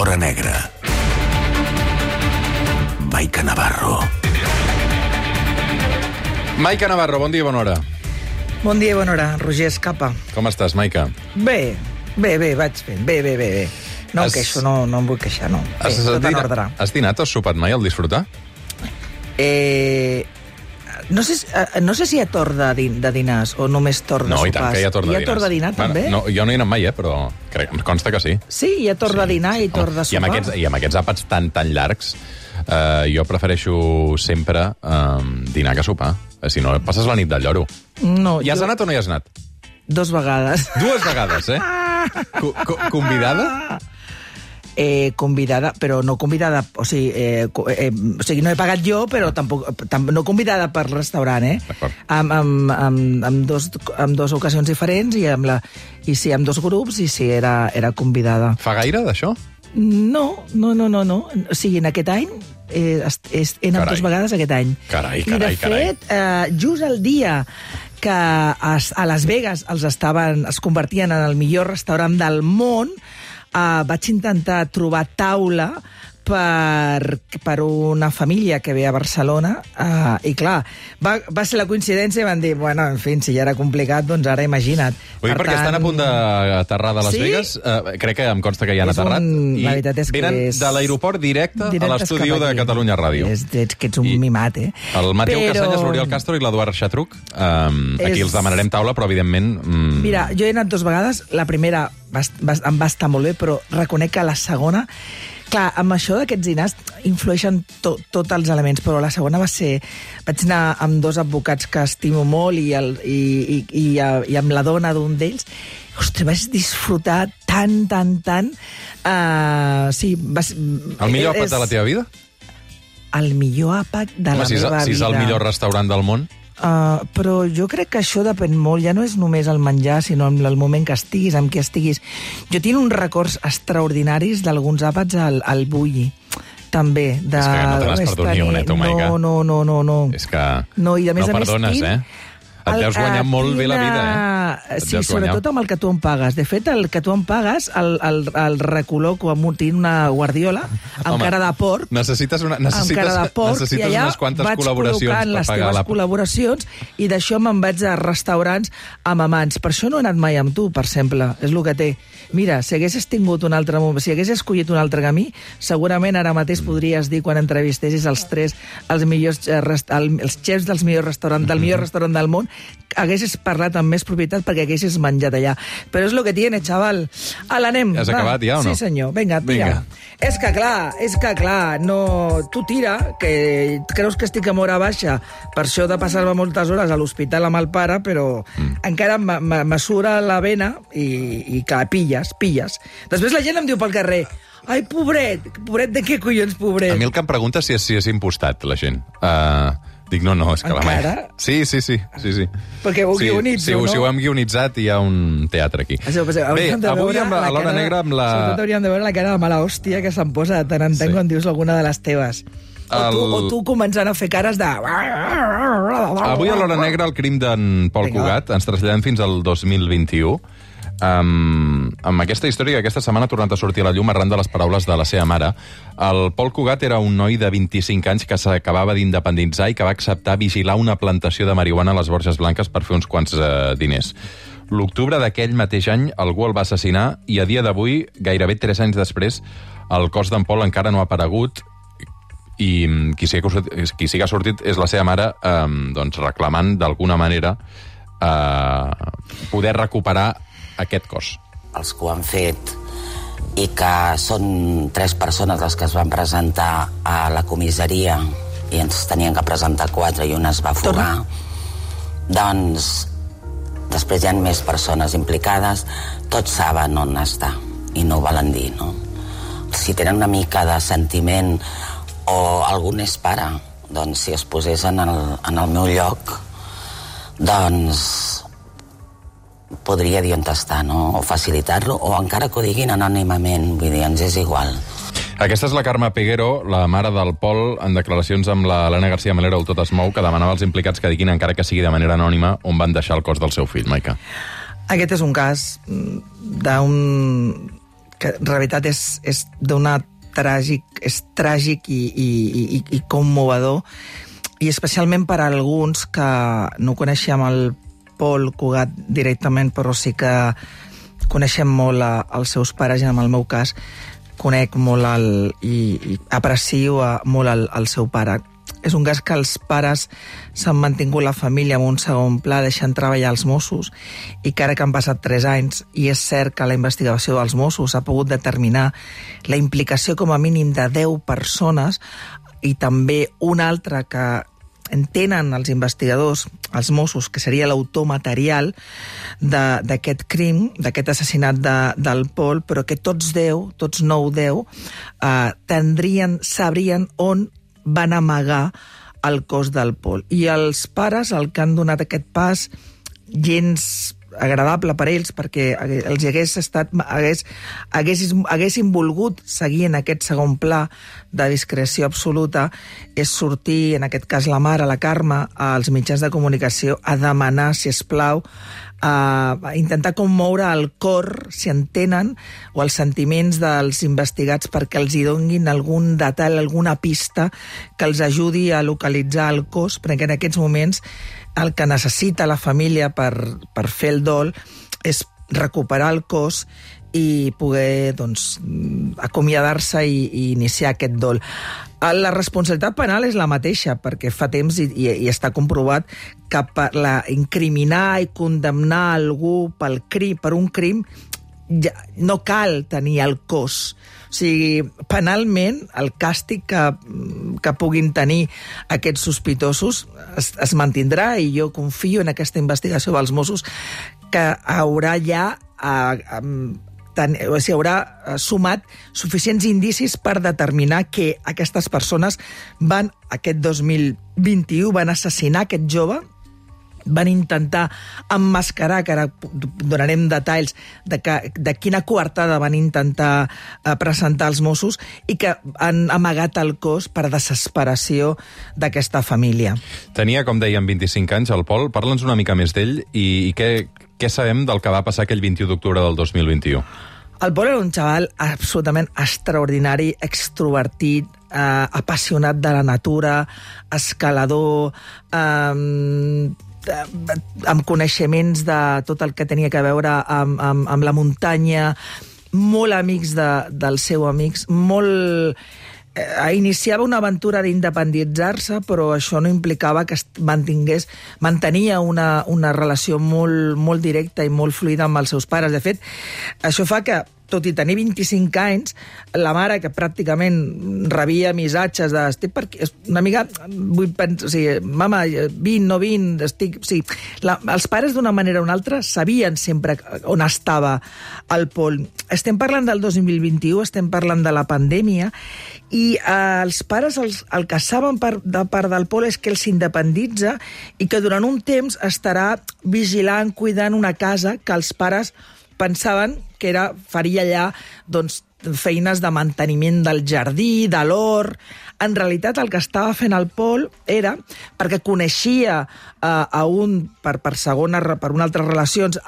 l'hora negra. Maica Navarro. Maica Navarro, bon dia i bona hora. Bon dia i bona hora, Roger Escapa. Com estàs, Maica? Bé, vaig fent. Bé. No em queixo, no em vull queixar, no. Bé, tot en ordre. Has dinat o has sopat mai al disfrutar? No sé si hi ha torn de dinars o només torn de sopars. No, i tant que hi ha torn de dinars. Hi ha torn de dinar, també? No, jo no hi he anat mai, però em consta que sí. Sí, hi ha torn de dinar i torn de sopar. I amb aquests àpats tan llargs, jo prefereixo sempre dinar que sopar. Si no, passes la nit del lloro. No, Hi has anat o no hi has anat? 2 vegades. 2 vegades, eh? Convidada? Convidada, però no convidada... O sigui, no he pagat jo, però tampoc no convidada per restaurant, eh? D'acord. Amb dos ocasions diferents i amb 2 grups, i sí, era convidada. Fa gaire, d'això? No. O sigui, en aquest any he anat 2 vegades aquest any. Carai. I, de fet, just el dia que a Las Vegas es convertien en el millor restaurant del món, vaig intentar trobar taula per una família que ve a Barcelona, i clar, va ser la coincidència i van dir, bueno, en fi, si ja era complicat, doncs ara imagina't. Vull dir, perquè estan a punt d'aterrar de Las Vegas, crec que em consta que ja han aterrat, la veritat és que venen de l'aeroport directe a l'estudi de Catalunya Ràdio. Que ets un mimat, eh? El Mateu Casanyes, l'Oriol Castro i l'Eduard Xatruc, aquí els demanarem taula, però evidentment... Mira, jo he anat 2 vegades, la primera em va estar molt bé, però reconec que la segona... Clar, amb això d'aquests dinars influeixen tots els elements, però la segona va ser... Vaig anar amb 2 advocats que estimo molt i amb la dona d'un d'ells. Ostres, vaig disfrutar tant. Sí, el millor àpat de la teva vida? El millor àpat de la meva vida. Si és el millor restaurant del món? Però jo crec que això depèn molt, ja no és només el menjar, sinó el moment que estiguis, amb qui estiguis. Jo tinc uns records extraordinaris d'alguns àpats al Bulli, també. És que no te n'has perdut ni un, Maica. No. És que no, i a més, no perdones, eh? Et deus guanyar molt bé la vida, eh? Sí, sobretot amb el que tu em pagues. De fet, el que tu em pagues el recol·loco amb una guardiola amb cara de porc. Necessites unes quantes col·laboracions per pagar les teves col·laboracions, i d'això me'n vaig a restaurants amb amants. Per això no he anat mai amb tu, per exemple. És el que té. Mira, si haguessis tingut un altre moment, si haguessis escollit un altre camí, segurament ara mateix podries dir, quan entrevistessis els xefs del millor restaurant del món, haguessis parlat amb més propietat perquè haguessis menjat allà. Però és el que tiene, xaval. L'anem. Has acabat ja o no? Sí, senyor. Vinga, tira. És que clar, no... Tu tira, que creus que estic amb hora baixa, per això de passar-me moltes hores a l'hospital amb el pare, però encara m'assura la vena i que pilles. Després la gent em diu pel carrer, ai, pobret de què collons, pobret? A mi el que em pregunta és si és impostat, la gent. Dic, no, és que encara? la Sí. Perquè ho guionitzo, no? Sí, ho hem guionitzat i hi ha un teatre aquí. Bé, avui a l'Hora Negra amb la... Sobretot hauríem de veure la cara de mala hòstia que se'm posa de tant en tant quan dius alguna de les teves. O tu començant a fer cares de... Avui a l'Hora Negra el crim d'en Pol Cugat. Ens traslladem fins al 2021. Amb aquesta història que aquesta setmana ha tornat a sortir a la llum arran de les paraules de la seva mare. El Pol Cugat era un noi de 25 anys que s'acabava d'independitzar i que va acceptar vigilar una plantació de marihuana a les Borges Blanques per fer uns quants diners. L'octubre d'aquell mateix any algú el va assassinar i a dia d'avui, gairebé 3 anys després, el cos d'en Pol encara no ha aparegut i qui sí que ha sortit és la seva mare reclamant d'alguna manera poder recuperar aquest cos. Els que ho han fet i que són 3 persones les que es van presentar a la comissaria i ens tenien que presentar 4 i una es va fugar, doncs després hi ha més persones implicades, tots saben on està i no ho volen dir, no? Si tenen una mica de sentiment o algú n'és pare, doncs si es posés en el meu lloc, doncs podria dir on està, no? O facilitar-lo, o encara que ho diguin anònimament, vull dir, ens és igual. Aquesta és la Carme Peguero, la mare del Pol, en declaracions amb l'Helena García Melero, el Tot es mou, que demanava als implicats que diguin, encara que sigui de manera anònima, on van deixar el cos del seu fill, Maica. Aquest és un cas d'un que en realitat és d'una és tràgic i commovedor, i especialment per a alguns que no coneixem el Pol Cugat directament, però sí que coneixem molt els seus pares, i en el meu cas conec molt i aprecio molt el seu pare. És un cas que els pares s'han mantingut la família en un segon pla, deixant treballar els Mossos, i que ara que han passat 3 anys, i és cert que la investigació dels Mossos ha pogut determinar la implicació com a mínim de 10 persones, i també una altra que entenen els investigadors, els Mossos, que seria l'autor material d'aquest crim, d'aquest assassinat del Pol, però que tots 10, tots 9 o 10, sabrien on van amagar el cos del Pol. I els pares, el que han donat aquest pas gens agradable per ells, perquè els haguessin volgut seguir en aquest segon pla de discreció absoluta, és sortir, en aquest cas la mare, la Carme, als mitjans de comunicació a demanar, si es plau, a intentar commoure el cor, si entenen, o els sentiments dels investigats, perquè els hi donguin algun detall, alguna pista que els ajudi a localitzar el cos, perquè en aquests moments el que necessita la família per fer el dol és recuperar el cos i poder acomiadar-se i iniciar aquest dol. La responsabilitat penal és la mateixa, perquè fa temps i està comprovat que per incriminar i condemnar algú per un crim no cal tenir el cos. O sigui, penalment, el càstig que puguin tenir aquests sospitosos es mantindrà, i jo confio en aquesta investigació dels Mossos que haurà sumat suficients indicis per determinar que aquestes persones aquest 2021 van assassinar aquest jove, van intentar emmascarar, que ara donarem detalls de quina coartada van intentar presentar els Mossos, i que han amagat el cos per desesperació d'aquesta família. Tenia, com dèiem, 25 anys, el Pol. Parla'ns una mica més d'ell i què sabem del que va passar aquell 21 d'octubre del 2021? El Pol era un xaval absolutament extraordinari, extrovertit, apassionat de la natura, escalador, amb coneixements de tot el que tenia a veure amb la muntanya, molt amics dels seus amics, iniciava una aventura d'independitzar-se, però això no implicava que mantenia una relació molt directa i molt fluida amb els seus pares. De fet, això fa que, tot i tenir 25 anys, la mare, que pràcticament rebia missatges una mica, mama, no vin, els pares d'una manera o una altra sabien sempre on estava el Pol. Estem parlant del 2021, estem parlant de la pandèmia, i els pares el que saben de part del Pol és que ell s'independitza i que durant un temps estarà vigilant, cuidant una casa que els pares pensaven que faria allà feines de manteniment del jardí, de l'hort. En realitat, el que estava fent el Pol era, perquè coneixia per una altres relacions,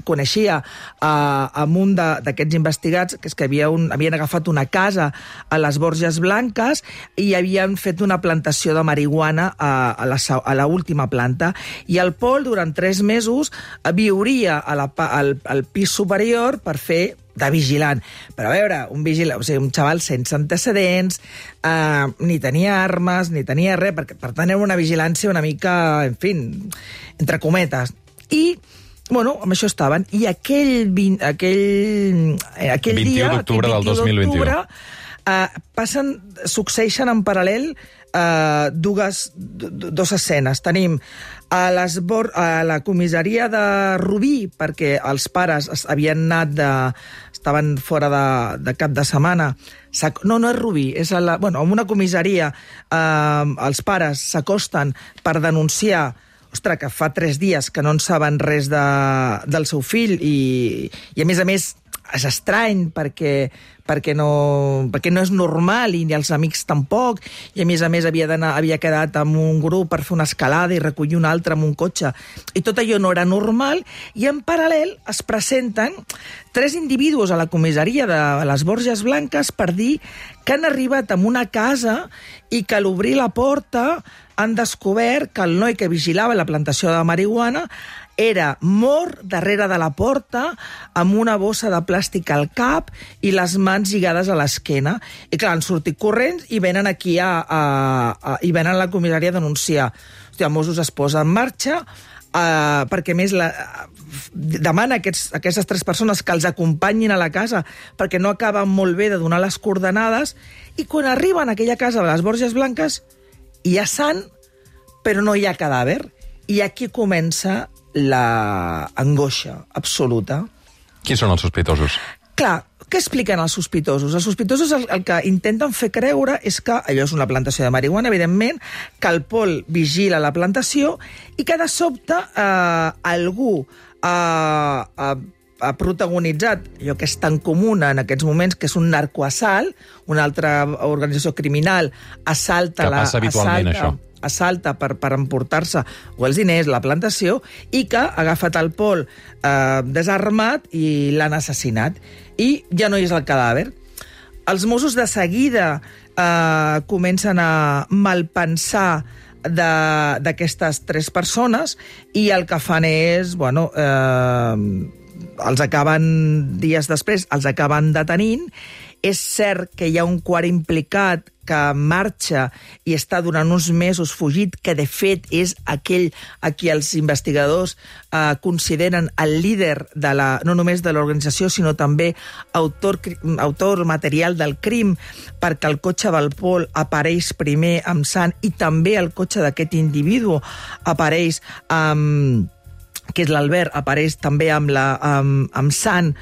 coneixia amb un d'aquests investigats, que és que havien agafat una casa a les Borges Blanques i havien fet una plantació de marihuana a la última planta. I el Pol, durant 3 mesos, viuria al pis superior per fer de vigilant. Però a veure, un xaval sense antecedents, ni tenia armes, ni tenia res, per tant era una vigilància una mica, en fi, entre cometes. I, amb això estaven. I aquell 21 d'octubre del 2021 succeeixen en paral·lel dues escenes. Tenim a la comissaria de Rubí, perquè els pares havien estaven fora de cap de setmana. No és Rubí, és en una comissaria els pares s'acosten per denunciar que fa 3 dies que no en saben res del seu fill, i a més és estrany perquè no és normal i els amics tampoc, i a més havia quedat amb un grup per fer una escalada i recollir un altre amb un cotxe, i tot allò no era normal, i en paral·lel es presenten 3 individus a la comissaria de les Borges Blanques per dir que han arribat a una casa i que a l'obrir la porta han descobert que el noi que vigilava la plantació de marihuana era mort darrere de la porta amb una bossa de plàstic al cap i les mans lligades a l'esquena. I clar, han sortit corrents i venen aquí i venen a la comissària a denunciar. Hòstia, Mossos es posa en marxa perquè més demana a aquestes 3 persones que els acompanyin a la casa perquè no acaben molt bé de donar les coordenades, i quan arriben a aquella casa de les Borges Blanques hi ha sang, però no hi ha cadàver. I aquí comença l'angoixa absoluta. Qui són els sospitosos? Clar, què expliquen els sospitosos? Els sospitosos el que intenten fer creure és que allò és una plantació de marihuana, evidentment, que el Pol vigila la plantació i que de sobte algú ha protagonitzat allò que és tan comú en aquests moments, que és un narcoassalt, una altra organització criminal assalta per emportar-se o els diners, la plantació, i que ha agafat el Pol desarmat i l'han assassinat. I ja no hi és el cadàver. Els Mossos de seguida comencen a malpensar d'aquestes 3 persones i el que fan és, els acaben, dies després, els acaben detenint. És cert que hi ha un quart implicat que marxa i està durant uns mesos fugit, que de fet és aquell a qui els investigadors consideren el líder no només de l'organització, sinó també autor material del crim, perquè el cotxe del Pol apareix primer amb sang i també el cotxe d'aquest individu apareix que és l'Albert, apareix també amb sang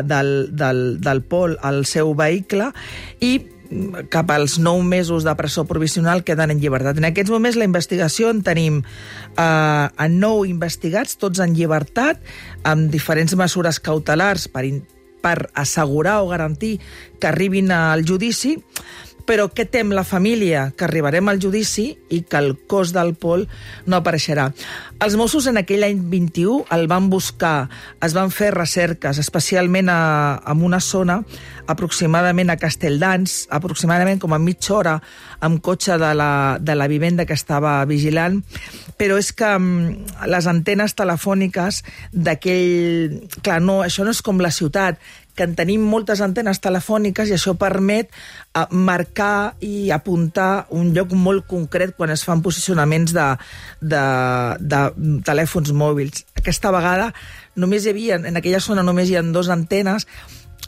del Pol al seu vehicle, i cap als 9 mesos de presó provisional queden en llibertat. En aquests moments la investigació en tenim 9 investigats, tots en llibertat, amb diferents mesures cautelars per assegurar o garantir que arribin al judici. Però què tem la família? Que arribarem al judici i que el cos del Pol no apareixerà. Els Mossos en aquell any 21 el van buscar, es van fer recerques, especialment en una zona, aproximadament a Castelldans, aproximadament com a mitja hora, amb cotxe de la vivenda que estava vigilant, però és que les antenes telefòniques d'aquell... Clar, no, això no és com la ciutat, que en tenim moltes antenes telefòniques i això permet marcar i apuntar un lloc molt concret quan es fan posicionaments de telèfons mòbils. Aquesta vegada en aquella zona només hi ha 2 antenes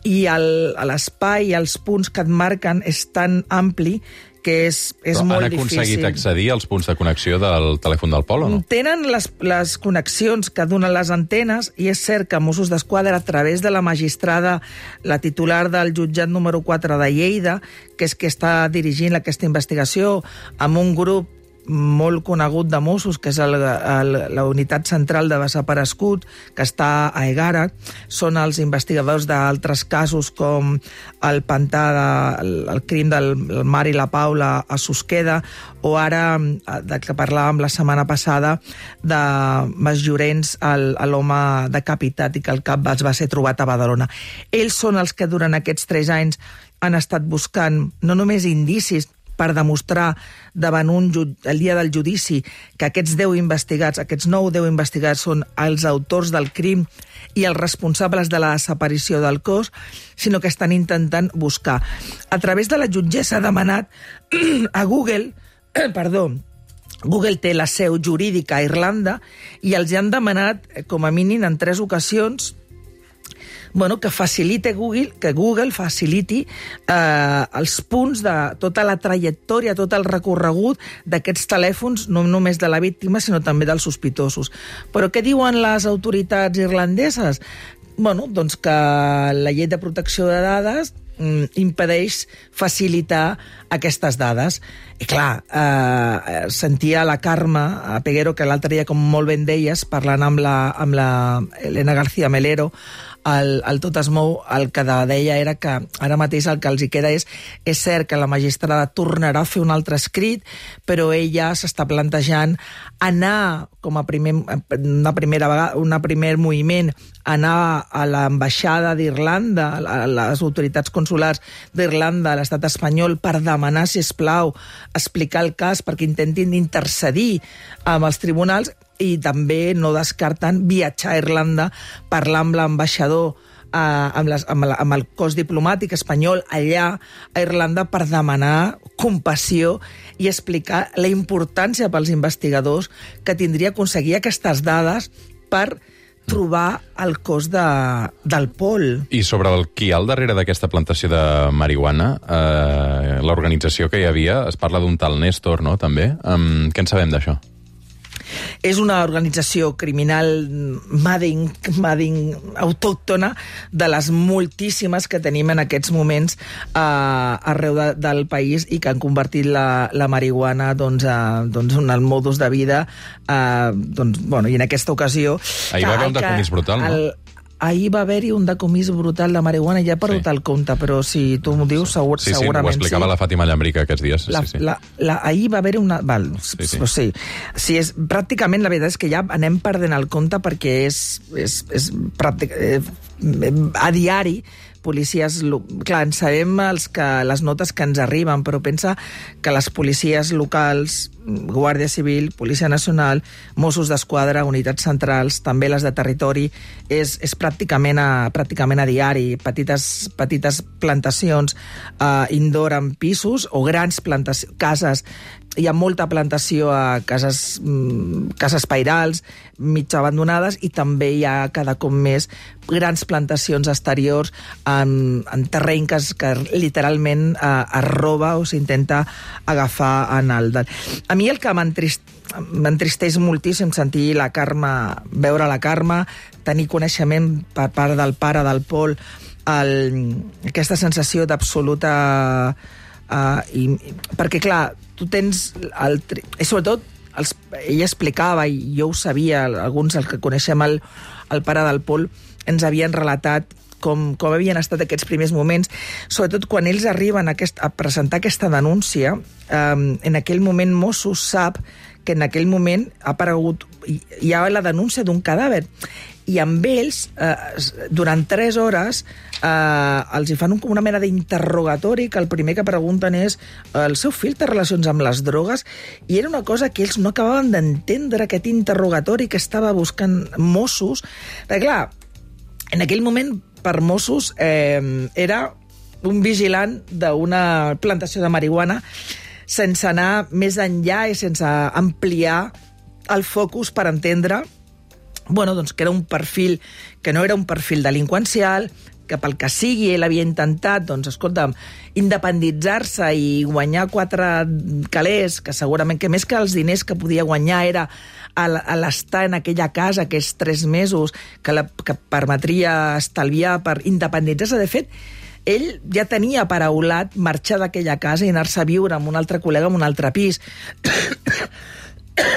i l'espai i els punts que et marquen és tan ampli que és molt difícil. Han aconseguit accedir als punts de connexió del telèfon del Pol o no? Tenen les connexions que donen les antenes i és cert que Mossos d'Esquadra, a través de la magistrada, la titular del jutjat número 4 de Lleida, que és que està dirigint aquesta investigació, amb un grup molt conegut de Mossos, que és la unitat central de desaparegut, que està a Egara. Són els investigadors d'altres casos com el pantà, el crim del Mar i la Paula a Susqueda, o ara, del que parlàvem la setmana passada, de Masllorens, l'home decapitat i que el cap es va ser trobat a Badalona. Ells són els que durant aquests 3 anys han estat buscant no només indicis per demostrar davant el dia del judici que aquests 10 investigats, aquests 9-10 investigats són els autors del crim i els responsables de la desaparició del cos, sinó que estan intentant buscar. A través de la jutgessa ha demanat a Google, Google té la seu jurídica a Irlanda, i els han demanat, com a mínim en 3 ocasions, que Google faciliti els punts de tota la trajectòria, tot el recorregut d'aquests telèfons, no només de la víctima, sinó també dels sospitosos. Però què diuen les autoritats irlandeses? Doncs que la llei de protecció de dades impedeix facilitar aquestes dades. I clar, sentia la Carme Peguero, que l'altre dia, com molt ben deies, parlant amb la Elena García Melero, el Tot es mou, el que deia era que ara mateix el que els hi queda és cert que la magistrada tornarà a fer un altre escrit, però ella s'està plantejant anar com a primer moviment, anar a l'ambaixada d'Irlanda, a les autoritats consulars d'Irlanda, a l'estat espanyol, per demanar, si plau, explicar el cas perquè intentin intercedir amb els tribunals, i també no descarten viatjar a Irlanda, parlar amb l'ambaixador, amb el cos diplomàtic espanyol allà a Irlanda per demanar compassió i explicar la importància pels investigadors que tindria aconseguir aquestes dades per trobar el cos del Pol. I sobre qui hi ha al darrere d'aquesta plantació de marihuana, l'organització que hi havia, es parla d'un tal Néstor, no?, també. Què en sabem d'això? És una organització criminal mading autòctona de les moltíssimes que tenim en aquests moments arreu del país i que han convertit la marihuana en el modus de vida. I en aquesta ocasió... Ahir va haver un decomís brutal, no? Ahir va haver-hi un decomís brutal de marihuana, ja he perdut el compte, però si tu m'ho dius, segurament sí. Sí, ho explicava la Fàtima Llambrica aquests dies. Ahir va haver-hi una... Sí, pràcticament la veritat és que ja anem perdent el compte perquè és a diari policies... Clar, en sabem les notes que ens arriben, però pensa que les policies locals, Guàrdia Civil, Policia Nacional, Mossos d'Esquadra, unitats centrals, també les de territori, és pràcticament a diari. Petites plantacions indoor en pisos o grans cases. Hi ha molta plantació a cases pairals, mig abandonades, i també hi ha cada cop més grans plantacions exteriors en terreny que literalment es roba o s'intenta agafar en el... A mi el que m'entristeix moltíssim sentir veure la Carme, tenir coneixement per part del pare del Pol, aquesta sensació d'absoluta... perquè, clar, tu tens... I sobretot, ella explicava, i jo ho sabia, alguns els que coneixem el pare del Pol, ens havien relatat com havien estat aquests primers moments, sobretot quan ells arriben a presentar aquesta denúncia. En aquell moment Mossos sap que en aquell moment ha aparegut, hi ha la denúncia d'un cadàver, i amb ells, durant 3 hores, els hi fan una mena d'interrogatori, que el primer que pregunten és el seu fill té relacions amb les drogues, i era una cosa que ells no acabaven d'entendre, aquest interrogatori que estava buscant Mossos. Perquè, clar, en aquell moment, per Mossos, era un vigilant d'una plantació de marihuana, sense anar més enllà i sense ampliar el focus per entendre que era un perfil que no era un perfil delinqüencial, que pel que sigui ell havia intentat, independitzar-se i guanyar 4 calés, que segurament que més que els diners que podia guanyar era l'estar en aquella casa aquests 3 mesos que permetria estalviar per independitzar-se. De fet, ell ja tenia paraulat marxar d'aquella casa i anar-se a viure amb un altre col·lega en un altre pis.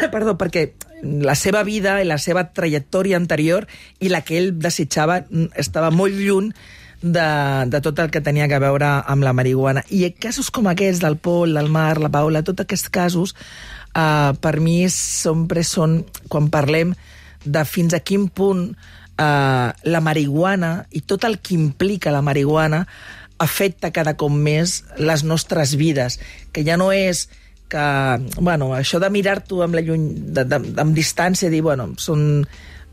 Perdó, perquè la seva vida i la seva trajectòria anterior i la que ell desitjava estava molt lluny de tot el que tenia a veure amb la marihuana. I casos com aquests del Pol, del Marc, la Paula, tots aquests casos, per mi sempre són, quan parlem de fins a quin punt la marihuana i tot el que implica la marihuana afecta cada cop més les nostres vides, que ja no és que, això de mirar-t'ho amb distància, dir, són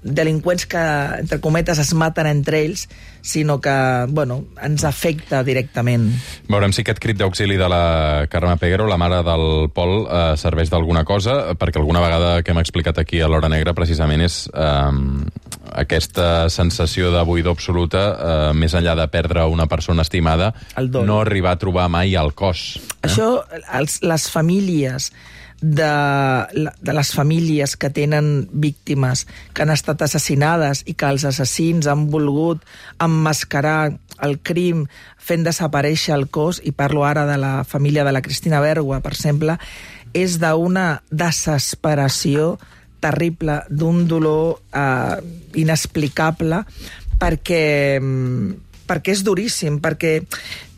delinqüents que, entre cometes, es maten entre ells, sinó que, ens afecta directament. Veurem si aquest crit d'auxili de la Carme Peguero, la mare del Pol, serveix d'alguna cosa, perquè alguna vegada que hem explicat aquí a l'Hora Negra, precisament, és aquesta sensació de buidor absoluta, més enllà de perdre una persona estimada, no arribar a trobar mai el cos. Això, les famílies de les famílies que tenen víctimes que han estat assassinades i que els assassins han volgut emmascarar el crim fent desaparèixer el cos, i parlo ara de la família de la Cristina Bergua, per exemple, és d'una desesperació terrible, d'un dolor inexplicable, perquè és duríssim, perquè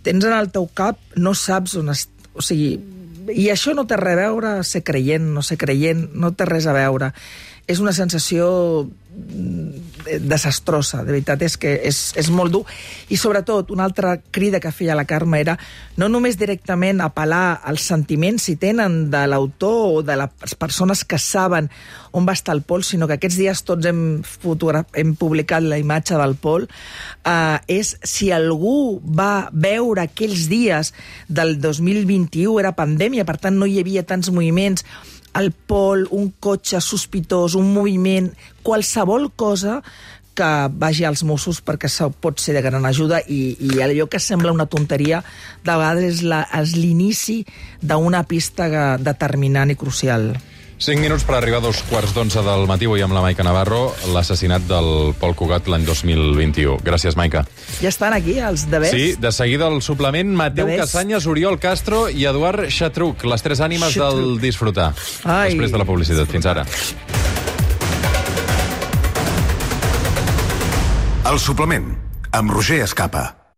tens en el teu cap, no saps on... O sigui, i això no té res a veure ser creient, no ser creient, no té res a veure. És una sensació desastrosa, de veritat, és que és molt dur. I sobretot, una altra crida que feia la Carme era no només directament apel·lar als sentiments, si tenen, de l'autor o de les persones que saben on va estar el Pol, sinó que aquests dies tots hem publicat la imatge del Pol, és si algú va veure aquells dies del 2021, era pandèmia, per tant no hi havia tants moviments, el Pol, un cotxe sospitós, un moviment, qualsevol cosa que vagi als Mossos, perquè això pot ser de gran ajuda, i allò que sembla una tonteria de vegades és l'inici d'una pista determinant i crucial. 5 minuts per arribar a 2:15 del matí, avui amb la Maica Navarro, l'assassinat del Pol Cugat l'any 2021. Gràcies, Maica. Ja estan aquí, els devers? Sí, de seguida el suplement, Mateu Casanyes, Oriol Castro i Eduard Xatruc, les tres ànimes del disfrutar. Després de la publicitat. Fins ara. El suplement, amb Roger Escapa.